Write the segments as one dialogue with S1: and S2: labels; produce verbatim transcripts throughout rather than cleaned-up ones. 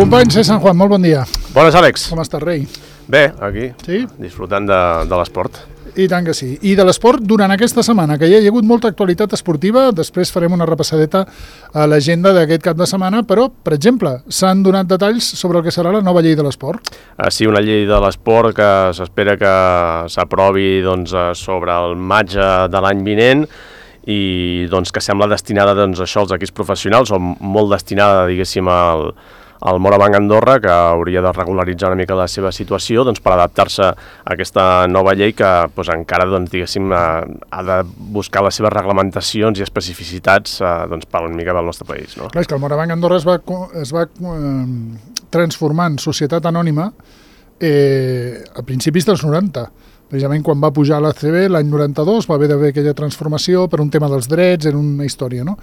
S1: Company C. San Juan, molt bon dia.
S2: Bones, Àlex.
S1: Com estàs, rei?
S2: Bé, aquí,
S1: sí?
S2: disfrutant de, de l'esport.
S1: I tant que sí. I de l'esport durant aquesta setmana, que ja hi ha hagut molta actualitat esportiva, després farem una repassadeta a l'agenda d'aquest cap de setmana, però, per exemple, s'han donat detalls sobre el que serà la nova llei de l'esport.
S2: Ah, sí, una llei de l'esport que s'espera que s'aprovi doncs, sobre el maig de l'any vinent i doncs, que sembla destinada doncs, això als equips professionals, o molt destinada, diguéssim, al... el Morabanc Andorra, que hauria de regularitzar una mica la seva situació doncs, per adaptar-se a aquesta nova llei que doncs, encara doncs, diguéssim, ha de buscar les seves reglamentacions i especificitats doncs, per una mica del nostre país. No?
S1: Clar, és que el Morabanc Andorra es va, es va eh, transformar en societat anònima eh, a principis dels noranta. Precisament quan va pujar a l'A C B l'any noranta-dos va haver d'haver aquella transformació per un tema dels drets, era una història, no?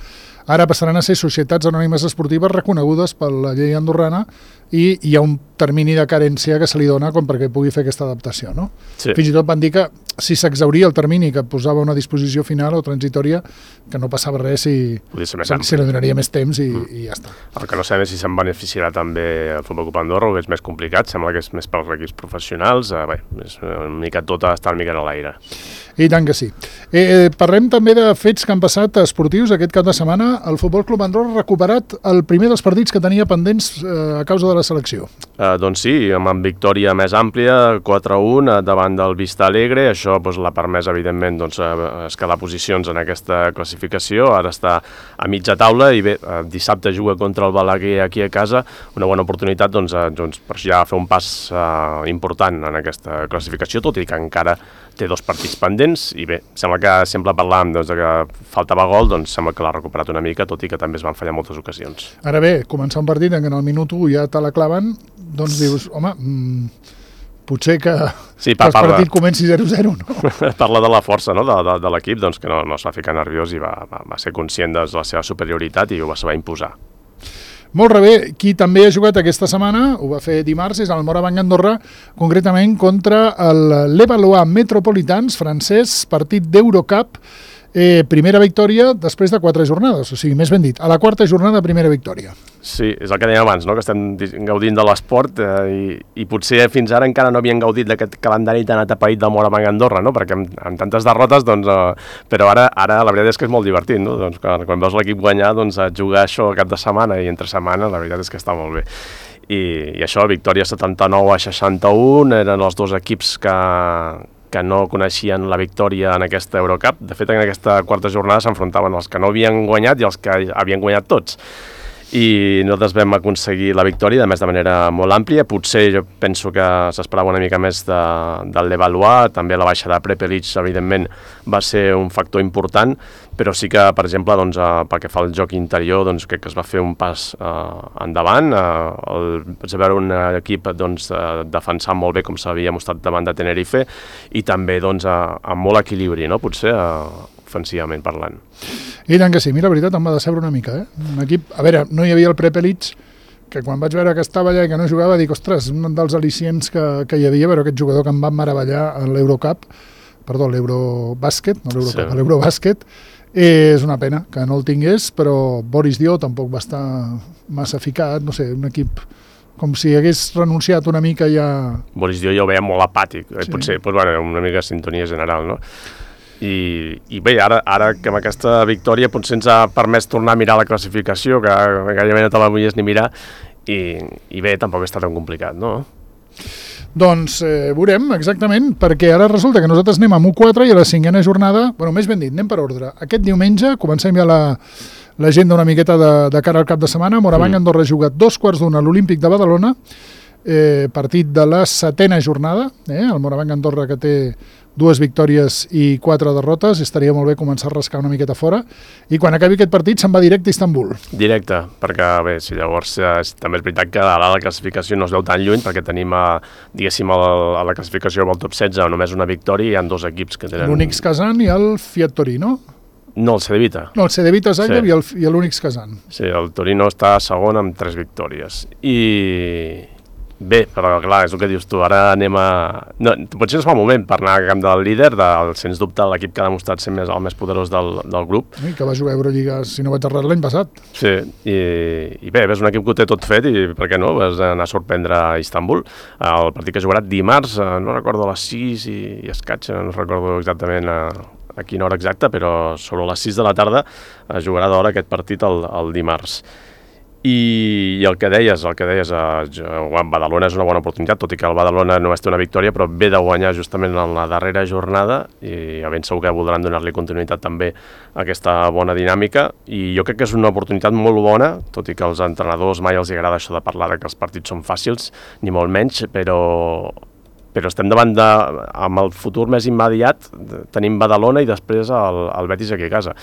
S1: Ara passaran a ser societats anònimes esportives reconegudes per la llei andorrana i hi ha un termini de carència que se li dona com perquè pugui fer aquesta adaptació, no? Sí. Fins i tot van dir que si s'exhauria el termini que posava una disposició final o transitòria, que no passava res si, si li donaria més temps i, mm. i ja està.
S2: El que no sabem és si se'n beneficiarà també el Futbol Club Andorra, o que és més complicat, sembla que és més pels equips professionals, eh, bé, és una mica tot està una mica en l'aire.
S1: I tant que sí. Eh, parlem també de fets que han passat esportius aquest cap de setmana. El Futbol Club Andorra ha recuperat el primer dels partits que tenia pendents eh, a causa de la selecció.
S2: Eh, doncs sí, amb victòria més àmplia, quatre a un davant del Vista Alegre. Això doncs, l'ha permès, evidentment, doncs, escalar posicions en aquesta classificació. Ara està a mitja taula i bé, dissabte juga contra el Balaguer aquí a casa. Una bona oportunitat doncs, doncs, per ja fer un pas eh, important en aquesta classificació, tot i que encara té dos partits pendents i bé, sembla que sempre parlàvem doncs, que faltava gol, doncs sembla que l'ha recuperat una mica, tot i que també es van fallar moltes ocasions.
S1: Ara bé, començar un partit en què en el minut u ja te la claven, doncs dius, home, mmm, potser que, sí, pa, que el partit comenci zero zero, no?
S2: Parla de la força no? de, de, de l'equip, doncs, que no, no es va ficar nerviós i va, va, va ser conscient de la seva superioritat i ho va saber imposar.
S1: Molt bé, qui també ha jugat aquesta setmana, ho va fer dimarts, és el Morabanc Andorra, concretament contra el Levallois Metropolitans francès, partit d'Eurocup, eh, primera victòria després de quatre jornades, o sigui, més ben dit, a la quarta jornada primera victòria.
S2: Sí, és el que dèiem abans, no? Que estem gaudint de l'esport eh, i, i potser fins ara encara no havien gaudit d'aquest calendari tan atapeït del Morabanc Andorra, no? Perquè amb, amb tantes derrotes, doncs, eh, però ara, ara la veritat és que és molt divertit, no? Doncs, quan, quan veus l'equip guanyar, doncs, jugar això cap de setmana i entre setmana, la veritat és que està molt bé. I, i això, victòria setanta-nou a seixanta-un, eren els dos equips que... que no coneixien la victòria en aquesta Eurocup. De fet, en aquesta quarta jornada s'enfrontaven els que no havien guanyat i els que havien guanyat tots. I nosaltres vam aconseguir la victòria, a més de manera molt àmplia. Potser jo penso que s'esperava una mica més de, del Levallois, també la baixa de Prepelic, evidentment, va ser un factor important, però sí que, per exemple, doncs, eh, pel que fa al joc interior, doncs, crec que es va fer un pas eh, endavant. Eh, el, vaig veure un equip doncs, eh, defensant molt bé, com s'havia mostrat davant de Tenerife, i també doncs, eh, amb molt equilibri, no? Potser eh, ofensivament parlant.
S1: I tant que sí, mira, la veritat em va decebre una mica, eh? Un equip, a veure, no hi havia el Prepelic, que quan vaig veure que estava allà i que no jugava, dic, ostres, un dels al·licients que, que hi havia, però aquest jugador que em va meravellar a l'Eurocup, perdó, l'Eurobàsquet, no l'Eurocup, sí. l'Eurobàsquet, és una pena que no el tingués, però Boris Dio tampoc va estar massa ficat, no sé, un equip com si hagués renunciat una mica ja...
S2: Boris Dio ja ho veia molt apàtic, sí. Potser, doncs, bueno, una mica de sintonia general, no? I, i bé, ara, ara que amb aquesta victòria potser ens ha permès tornar a mirar la classificació, que gairebé no te la volies ni mirar, i, i bé, tampoc està tan complicat, no?
S1: Doncs eh, veurem exactament, perquè ara resulta que nosaltres anem amb u quatre i a la cinquena jornada, bueno, més ben dit, anem per ordre. Aquest diumenge comencem ja la, l'agenda una miqueta de, de cara al cap de setmana. Morabanc mm. Andorra ha jugat dos quarts d'una a l'Olímpic de Badalona, eh, partit de la setena jornada, eh, el Morabanc Andorra que té dues victòries i quatre derrotes, estaria molt bé començar a rascar una miqueta fora, i quan acabi aquest partit se'n va directe a Istanbul.
S2: Directe, perquè bé, si llavors eh, també és veritat que a la classificació no es veu tan lluny, perquè tenim, a, diguéssim, a la, a la classificació del top setze només una victòria i hi ha dos equips que tenen...
S1: L'Unix Kazan i el Fiat Torino.
S2: No, el Cedevita.
S1: No, el Cedevita Zagreb sí. i l'Unix Kazan.
S2: Sí, el Torino està segon amb tres victòries. I... bé, però clar, és el que dius tu, ara anem a... No, potser no es fa un moment per anar al camp del líder, del, sens dubte l'equip que ha demostrat ser més, el més poderós del, del grup.
S1: I que va jugar a Eurolliga, si no vaig errar, l'any passat.
S2: Sí, i, i bé, és un equip que ho té tot fet i per què no, vas anar a sorprendre a Istanbul. El partit que jugarà dimarts, no recordo a les sis i, i escaig, no recordo exactament a, a quina hora exacta, però sobre les sis de la tarda jugarà d'hora aquest partit el, el dimarts. I, i el que deies, el que deies, eh, Badalona és una bona oportunitat, tot i que el Badalona només té una victòria, però ve de guanyar justament en la darrera jornada i ben segur que voldran donar-li continuïtat també a aquesta bona dinàmica i jo crec que és una oportunitat molt bona, tot i que als entrenadors mai els agrada això de parlar de que els partits són fàcils, ni molt menys, però... però estem davant de, amb el futur més immediat, tenim Badalona i després el, el Betis aquí a casa.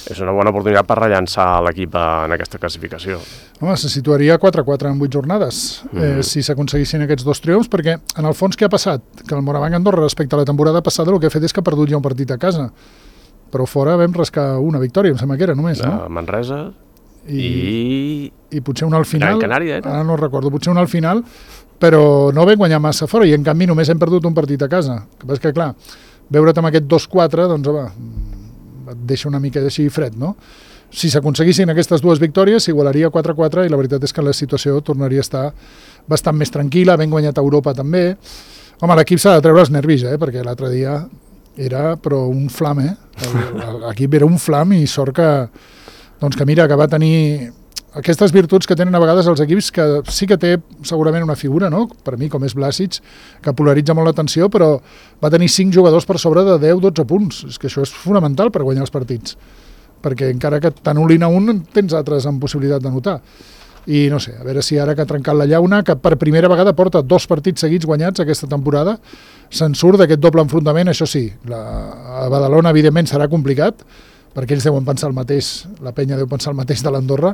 S2: És una bona oportunitat per rellançar l'equip en aquesta classificació.
S1: Home, se situaria quatre a quatre en vuit jornades, mm. eh, si s'aconseguissin aquests dos triomfs, perquè en el fons què ha passat? Que el Morabanc Andorra respecte a la temporada passada el que ha fet és que ha perdut ja un partit a casa, però fora vam rascar una victòria, em sembla que era només, no?
S2: De Manresa i...
S1: I, i potser una al final,
S2: Gran Canària, era?
S1: Ara no recordo, potser una al final, però no vam guanyar massa fora i en canvi només hem perdut un partit a casa. El que passa que, clar, veure't amb aquest dos quatre, doncs, home, et deixa una mica així fred, no? Si s'aconseguissin aquestes dues victòries, s'igualaria quatre a quatre i la veritat és que la situació tornaria a estar bastant més tranquil·la, ben guanyat a Europa també. Home, l'equip s'ha de treure els nervis, eh? Perquè l'altre dia era, però un flam, eh? L'equip era un flam i sort que, doncs que mira, que va tenir... aquestes virtuts que tenen a vegades els equips, que sí que té segurament una figura, no? Per mi, com és Blasic, que polaritza molt l'atenció, però va tenir cinc jugadors per sobre de deu dotze punts. És que això és fonamental per guanyar els partits, perquè encara que t'anul·lin a un, tens altres amb possibilitat de notar. I no sé, a veure si ara que ha trencat la llauna, que per primera vegada porta dos partits seguits guanyats aquesta temporada, se'n surt d'aquest doble enfrontament. Això sí, la, a Badalona evidentment serà complicat, perquè ells deuen pensar el mateix, la penya deu pensar el mateix de l'Andorra,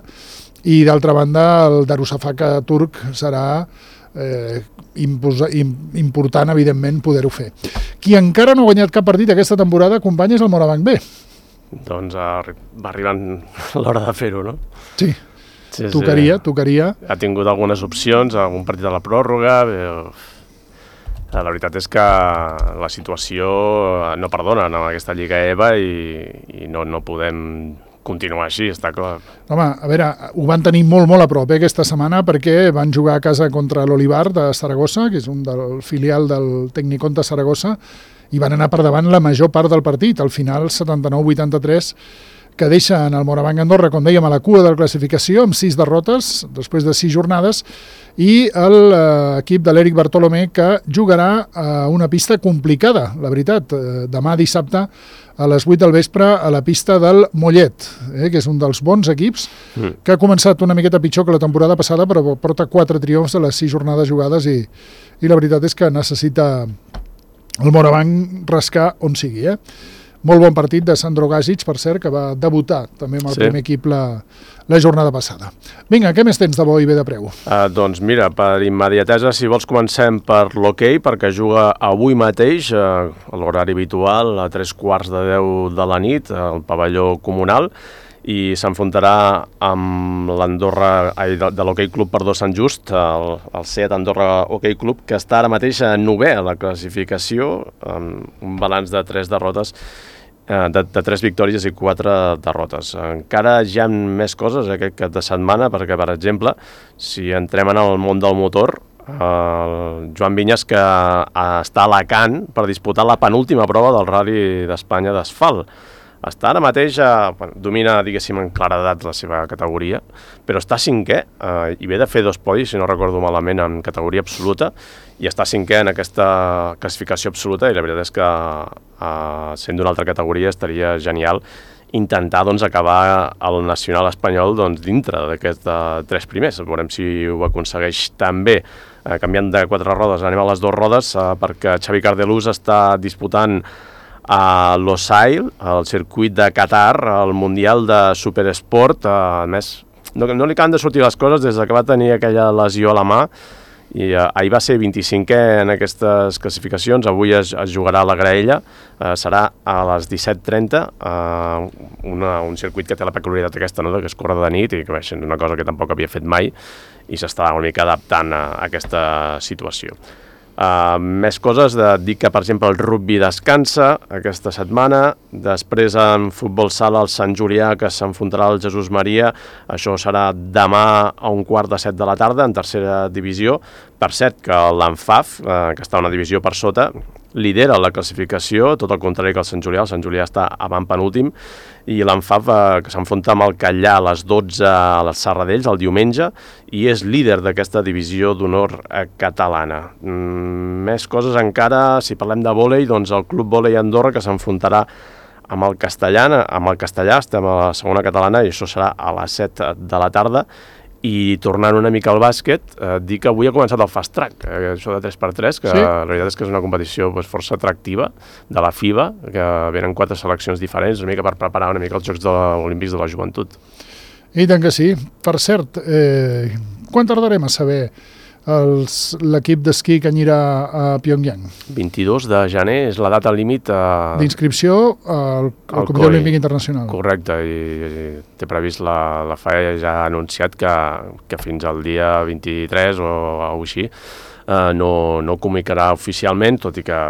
S1: i d'altra banda el Darussafaka turc serà eh, imposa, im, important, evidentment, poder-ho fer. Qui encara no ha guanyat cap partit aquesta temporada, company, és el Morabanc B.
S2: Doncs arri va arribant l'hora de fer-ho, no?
S1: Sí,
S2: sí
S1: tocaria,
S2: sí.
S1: tocaria.
S2: Ha tingut algunes opcions, algun partit a la pròrroga... Però... La veritat és que la situació no perdona en aquesta Lliga E V A i, i no, no podem continuar així, està clar.
S1: Home, a veure, ho van tenir molt, molt a prop eh, aquesta setmana perquè van jugar a casa contra l'Olivar de Saragossa, que és un del filial del Tecnicont de Saragossa, i van anar per davant la major part del partit. Al final, setanta-nou vuitanta-tres, que deixa en el Morabanc Andorra, com dèiem, a la cua de la classificació, amb sis derrotes, després de sis jornades, i l'equip de l'Eric Bartolomé, que jugarà a una pista complicada, la veritat, demà dissabte a les vuit del vespre a la pista del Mollet, eh, que és un dels bons equips, mm. que ha començat una miqueta pitjor que la temporada passada, però porta quatre triomfs de les sis jornades jugades i, i la veritat és que necessita el Morabanc rascar on sigui, eh? Molt bon partit de Sandro Gazic, per cert, que va debutar també amb el sí. primer equip la, la jornada passada. Vinga, què més tens de bo i bé de preu?
S2: Uh, doncs mira, per immediatesa, si vols comencem per l'hoquei, perquè juga avui mateix, uh, a l'horari habitual, a tres quarts de deu de la nit, al pavelló comunal, i s'enfrontarà amb l'Andorra de, de l'Hockey Club Perdó Sant Just, el, el SEAT Andorra Hockey Club, que està ara mateix a novè a la classificació, amb un balanç de tres derrotes, De, de tres victòries i quatre derrotes. Encara hi ha més coses aquest cap de setmana, perquè, per exemple, si entrem en el món del motor, el Joan Vinyes, que està a Alacant per disputar la penúltima prova del Rally d'Espanya d'asfalt. Està ara mateix, eh, domina, diguéssim, en claredat la seva categoria, però està cinquè, eh, i ve de fer dos podis, si no recordo malament, en categoria absoluta, i està cinquè en aquesta classificació absoluta, i la veritat és que, eh, sent d'una altra categoria, estaria genial intentar doncs, acabar el nacional espanyol doncs, dintre d'aquests tres primers. Veurem si ho aconsegueix també. Eh, canviant de quatre rodes, anem a les dues rodes, eh, perquè Xavi Cardelús està disputant a Losail, al circuit de Qatar, al Mundial de Superesport. A més, no, no li acaben de sortir les coses des que va tenir aquella lesió a la mà i uh, ahir va ser vint-i-cinquè en aquestes classificacions, avui es, es jugarà a la Graella, uh, serà a les disset trenta, uh, una, un circuit que té la peculiaritat aquesta, no?, que es corre de nit i que és una cosa que tampoc havia fet mai i s'està una mica adaptant a, a aquesta situació. Uh, més coses, de dir que per exemple el rugby descansa aquesta setmana, després en futbol sala el Sant Julià que s'enfrontarà al Jesús Maria, això serà demà a un quart de set de la tarda en tercera divisió. Per cert que l'Anfaf, uh, que està una divisió per sota, lidera la classificació, tot el contrari que el Sant Julià. El Sant Julià està avant penúltim i l'Anfaf eh, que s'enfronta amb el Callà a les dotze a les Serradells el diumenge i és líder d'aquesta divisió d'honor eh, catalana. Mm, més coses encara, si parlem de vòlei, doncs el Club Vòlei Andorra que s'enfrontarà amb el Castellà, amb el Castellà, estem a la segona catalana i això serà a les set de la tarda. I tornant una mica al bàsquet, eh, dir que avui ha començat el Fast Track, eh, això de tres per tres, que sí? La veritat és que és una competició pues, força atractiva de la FIBA, que venen quatre seleccions diferents, una mica per preparar una mica els Jocs de Olímpics de la Joventut.
S1: I tant que sí. Per cert, eh, quan tardarem a saber l'equip d'esquí que anirà a Pyongyang?
S2: vint-i-dos de gener és la data límit a...
S1: d'inscripció al, al Comitè Olímpic Internacional.
S2: Correcte, i, i té previst, la, la F A E ja ha anunciat que, que fins al dia vint-i-tres o, o així eh, no, no comunicarà oficialment, tot i que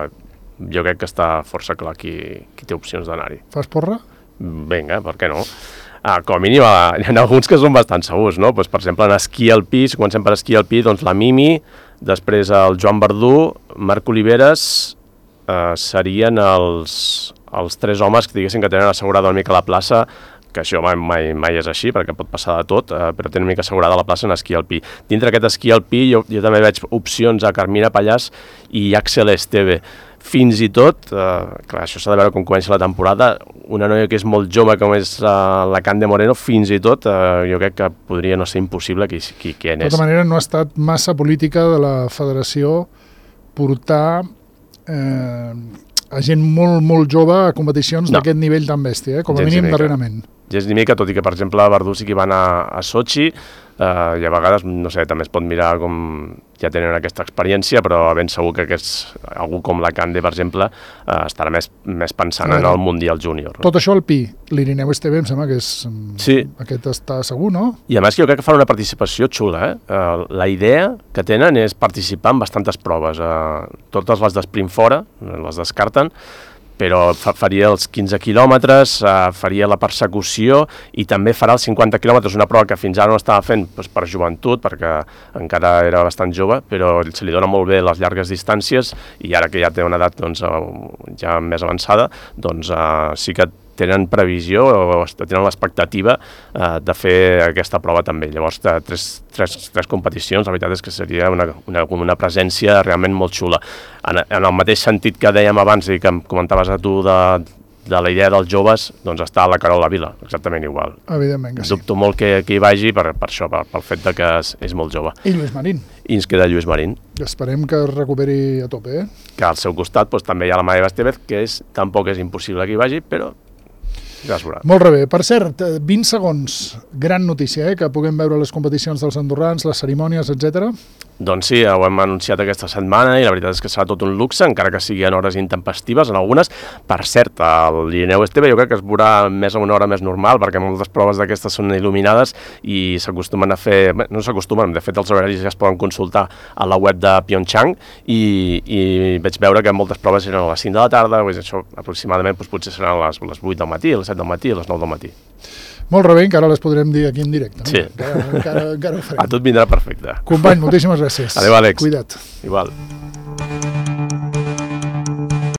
S2: jo crec que està força clar qui, qui té opcions d'anar-hi.
S1: Fas porra?
S2: Vinga, per què no? Ah, com a mínim, hi ha alguns que són bastant segurs, no? Pues, per exemple, en esquí alpí, si comencem per esquí alpí, doncs la Mimi, després el Joan Verdú, Marc Oliveres, eh, serien els, els tres homes que diguessin que tenen assegurada una mica la plaça, que això mai, mai, mai és així, perquè pot passar de tot, eh, però tenen una mica assegurada la plaça en esquí alpí. Dintre aquest esquí alpí jo, jo també veig opcions a Carmina Pallàs i Axel Esteve. Fins i tot, eh, clar, això s'ha de veure com comença la temporada, una noia que és molt jove com és eh, la Cande Moreno, fins i tot eh, jo crec que podria no ser impossible qui, qui, qui en és.
S1: De tota manera, no ha estat massa política de la federació portar eh, a gent molt, molt jove a competicions no. d'aquest nivell tan bèstia, eh? Com a gens mínim darrerament.
S2: Gens ni mica, tot i que, per exemple, a Verdú sí que van a, a Sochi, eh, i a vegades, no sé, també es pot mirar com ja tenen aquesta experiència, però ben segur que aquest, algú com la Cande, per exemple, eh, estarà més, més pensant en el Mundial Júnior.
S1: Tot això al Pi, l'Irineu Esteve em sembla que és...
S2: Sí.
S1: Aquest està segur, no?
S2: I a més jo crec que fan una participació xula, eh? Uh, la idea que tenen és participar en bastantes proves. Uh, totes les d'esprint fora, les descarten, però faria els quinze quilòmetres, uh, faria la persecució i també farà els cinquanta quilòmetres, una prova que fins ara no estava fent doncs, per joventut, perquè encara era bastant jove, però se li dona molt bé les llargues distàncies i ara que ja té una edat doncs, ja més avançada, doncs uh, sí que tenen previsió o tenen l'expectativa eh, de fer aquesta prova també. Llavors, tres, tres, tres competicions, la veritat és que seria una, una, una presència realment molt xula. En, en el mateix sentit que dèiem abans i que em comentaves a tu de, de la idea dels joves, doncs està la Carola Vila, exactament igual.
S1: Evidentment que sí.
S2: Dubto molt que, que hi vagi per, per això, per, pel fet de que és, és molt jove.
S1: I Lluís Marín.
S2: I ens queda Lluís Marín.
S1: Esperem que es recuperi a tope, eh?
S2: Que al seu costat doncs, també hi ha la Maeva Estevez, que és, tampoc és impossible que hi vagi, però ja es veurà.
S1: Molt bé. Per cert, vint segons, gran notícia, eh? Que puguem veure les competicions dels andorrans, les cerimònies, etcètera.
S2: Doncs sí, ho hem anunciat aquesta setmana i la veritat és que serà tot un luxe, encara que sigui en hores intempestives, en algunes. Per cert, l'Irineu Esteve jo crec que es veurà més a una hora més normal, perquè moltes proves d'aquestes són il·luminades i s'acostumen a fer, no s'acostumen, de fet els horaris ja es poden consultar a la web de Pyeongchang i, i vaig veure que moltes proves eren a les cinc de la tarda, doncs això aproximadament doncs, potser seran a les, les vuit del matí, a les set del matí, a les nou del matí.
S1: Molt bé, encara les podrem dir aquí en directe. No?
S2: Sí.
S1: Encara, encara, encara ho farem.
S2: A tot vindrà perfecte.
S1: Company, moltíssimes gràcies.
S2: Adéu, Àlex.
S1: Cuida't.
S2: Igual.